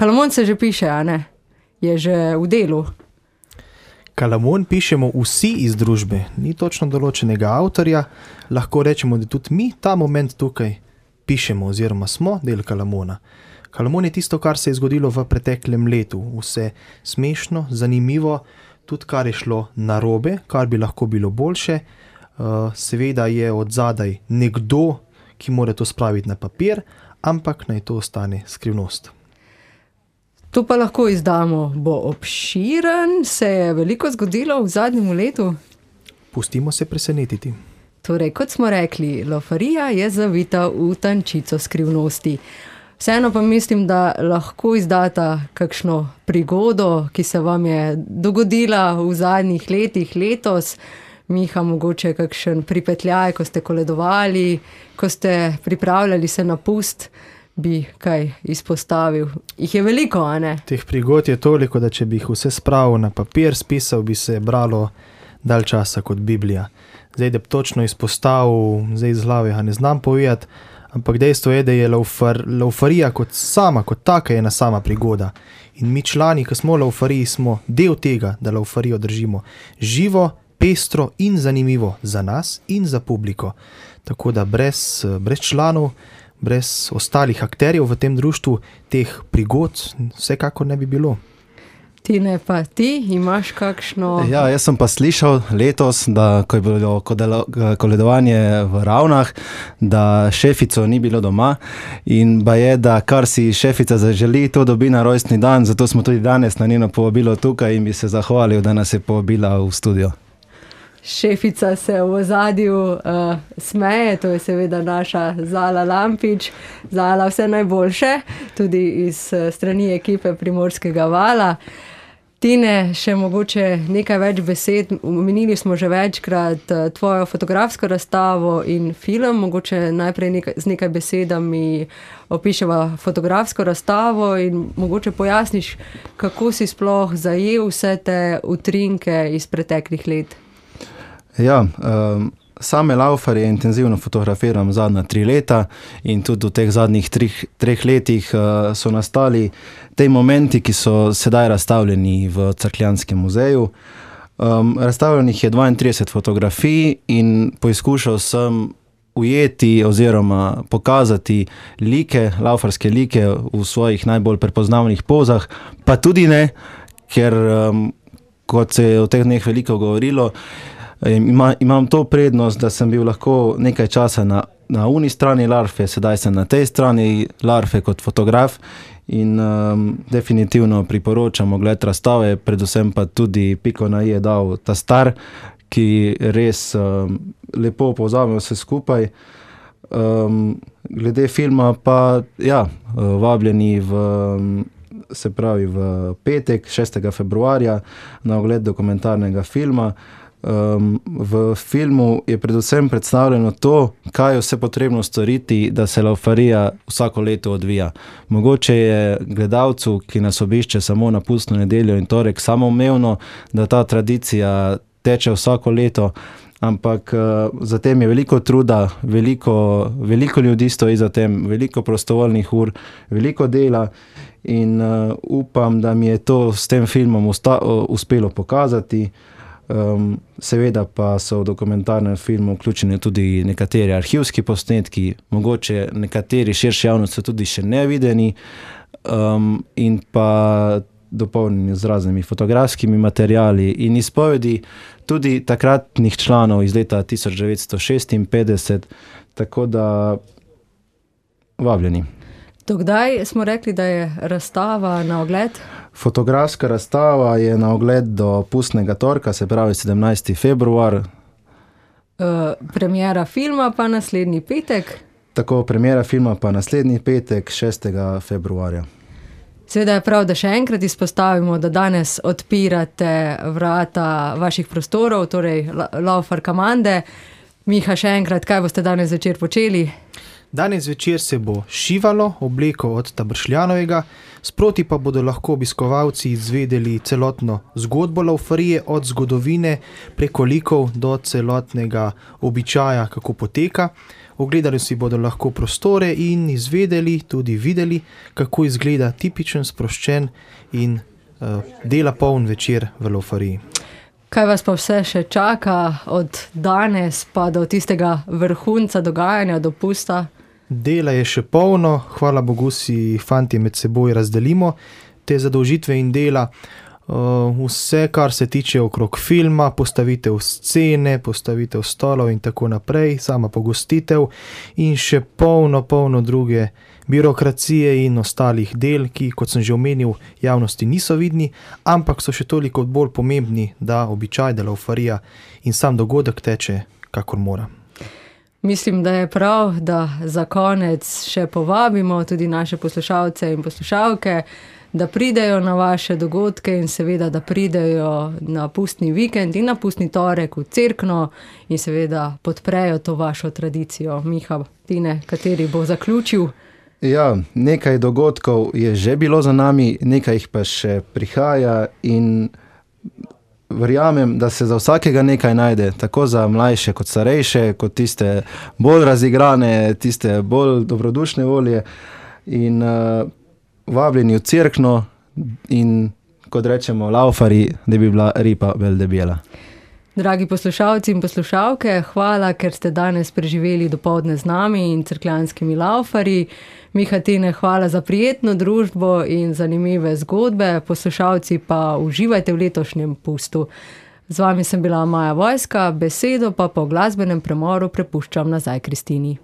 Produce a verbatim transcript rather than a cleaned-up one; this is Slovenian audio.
Kalamon se že piše, a ne? Je že v delu. Kalamon pišemo vsi iz družbe, ni točno določenega avtorja, lahko rečemo, da tudi mi ta moment tukaj pišemo oziroma smo del Kalamona. Kalamon je tisto, kar se je zgodilo v preteklem letu, vse smešno, zanimivo, tudi kar je šlo narobe, kar bi lahko bilo boljše. Seveda je od zadaj nekdo, ki mora to spraviti na papir, ampak naj to ostane skrivnost. To pa lahko izdamo, bo obširen, se je veliko zgodilo v zadnjem letu? Pustimo se presenetiti. Torej, kot smo rekli, Laufarija je zavita v tančico skrivnosti. Vseeno pa mislim, da lahko izdata kakšno prigodo, ki se vam je dogodila v zadnjih letih, letos. Miha, mogoče kakšen pripetljaj, ko ste koledovali, ko ste pripravljali se na pust, bi kaj izpostavil. Jih je veliko, a ne? Teh prigod je toliko, da če bi jih vse spravil na papir, spisal, bi se bralo dalj časa kot Biblija. Zdaj, da bi točno izpostavil, zdaj iz glave, ne znam povedati, ampak dejstvo je, da je laufar, laufarija kot sama, kot taka ena sama prigoda. In mi člani, ki smo v laufariji, smo del tega, da laufarijo držimo živo, pestro in zanimivo za nas in za publiko. Tako da brez, brez članov, brez ostalih akterjev v tem društvu, teh prigod vsekakor ne bi bilo. Tine, pa ti imaš kakšno... Ja, jaz sem pa slišal letos, da ko je bilo koledovanje v Ravnah, da šefico ni bilo doma in ba je, da kar si šefica zaželi, to dobi na rojstni dan, zato smo tudi danes na njeno povabilo tukaj in bi se zahvalil, da nas je povabila v studio. Šefica se v ozadju uh, smeje, to je seveda naša Zala Lampič. Zala, vse najboljše, tudi iz uh, strani ekipe Primorskega vala. Tine, še mogoče nekaj več besed, omenili smo že večkrat uh, tvojo fotografsko razstavo in film, mogoče najprej nekaj, z nekaj besedami opiševa fotografsko razstavo in mogoče pojasniš, kako si sploh zajel vse te utrinke iz preteklih let. Ja, um, same laufarje intenzivno fotografiram zadnja tri leta in tudi v teh zadnjih trih, treh letih uh, so nastali te momenti, ki so sedaj razstavljeni v Cerkljanskem muzeju. Um, razstavljenih je dvaintrideset fotografij in poizkušal sem ujeti oziroma pokazati like, laufarske like v svojih najbolj prepoznavnih pozah, pa tudi ne, ker um, kot se je o teh dneh veliko govorilo, Ima, imam to prednost, da sem bil lahko nekaj časa na, na uni strani larve, sedaj sem na tej strani larve kot fotograf in um, definitivno priporočam ogled razstave, predvsem pa tudi piko na i je dal ta star, ki res um, lepo povzame vse skupaj. Um, glede filma pa, ja, vabljeni v, se pravi v petek, šestega februarja na ogled dokumentarnega filma. Um, v filmu je predvsem predstavljeno to, kaj je vse potrebno storiti, da se laufarija vsako leto odvija. Mogoče je gledalcu, ki nas obišče samo na pustno nedeljo in torek, samoumevno, da ta tradicija teče vsako leto, ampak uh, za tem je veliko truda, veliko, veliko ljudi stoji za tem, veliko prostovoljnih ur, veliko dela in uh, upam, da mi je to s tem filmom usta, uh, uspelo pokazati. Um, seveda pa so v dokumentarnem filmu vključeni tudi nekateri arhivski posnetki, mogoče nekateri širši javnosti so tudi še nevideni um, in pa dopolnjeni z raznimi fotografskimi materiali in izpovedi tudi takratnih članov iz leta tisoč devetsto šestinpetdeset, tako da vabljeni. Dokdaj smo rekli, da je razstava na ogled? Fotografska razstava je na ogled do pustnega torka, se pravi sedemnajsti februar. Uh, premiera filma pa naslednji petek? Tako, premiera filma pa naslednji petek, šestega februarja. Seveda je prav, da še enkrat izpostavimo, da danes odpirate vrata vaših prostorov, torej Laufar Kamande. Miha, še enkrat, kaj boste danes večer počeli? Danes večer se bo šivalo obleko od Tabršljanovega, sproti pa bodo lahko obiskovalci izvedeli celotno zgodbo laufarije od zgodovine preko likov do celotnega običaja, kako poteka. Ogledali si bodo lahko prostore in izvedeli, tudi videli, kako izgleda tipičen, sproščen in uh, dela poln večer v Laufariji. Kaj vas pa vse še čaka od danes pa do tistega vrhunca dogajanja, dopusta? Dela je še polno, hvala Bogu si fanti med seboj razdelimo te zadolžitve in dela. Vse, kar se tiče okrog filma, postavitev scene, postavitev stolov in tako naprej, sama pogostitev in še polno, polno druge birokracije in ostalih del, ki, kot sem že omenil, javnosti niso vidni, ampak so še toliko bolj pomembni, da običaj, da Laufarija in sam dogodek teče, kakor mora. Mislim, da je prav, da za konec še povabimo tudi naše poslušalce in poslušalke, da pridejo na vaše dogodke in seveda, da pridejo na pustni vikend in na pustni torek v Cerkno in seveda podprejo to vašo tradicijo. Miha, Tine, kateri bo zaključil? Ja, nekaj dogodkov je že bilo za nami, nekaj jih pa še prihaja in verjamem, da se za vsakega nekaj najde, tako za mlajše kot starejše, kot tiste bolj razigrane, tiste bolj dobrodušne volje in uh, vabljeni v Cerkno in, kot rečemo, Laufari, da bi bila ripa bolj debela. Dragi poslušalci in poslušalke, hvala, ker ste danes preživeli dopoldne z nami in cerkljanskimi Laufarji. Miha, Tine, hvala za prijetno družbo in zanimive zgodbe. Poslušalci pa uživajte v letošnjem pustu. Z vami sem bila Maja Vojska, besedo pa po glasbenem premoru prepuščam nazaj Kristini.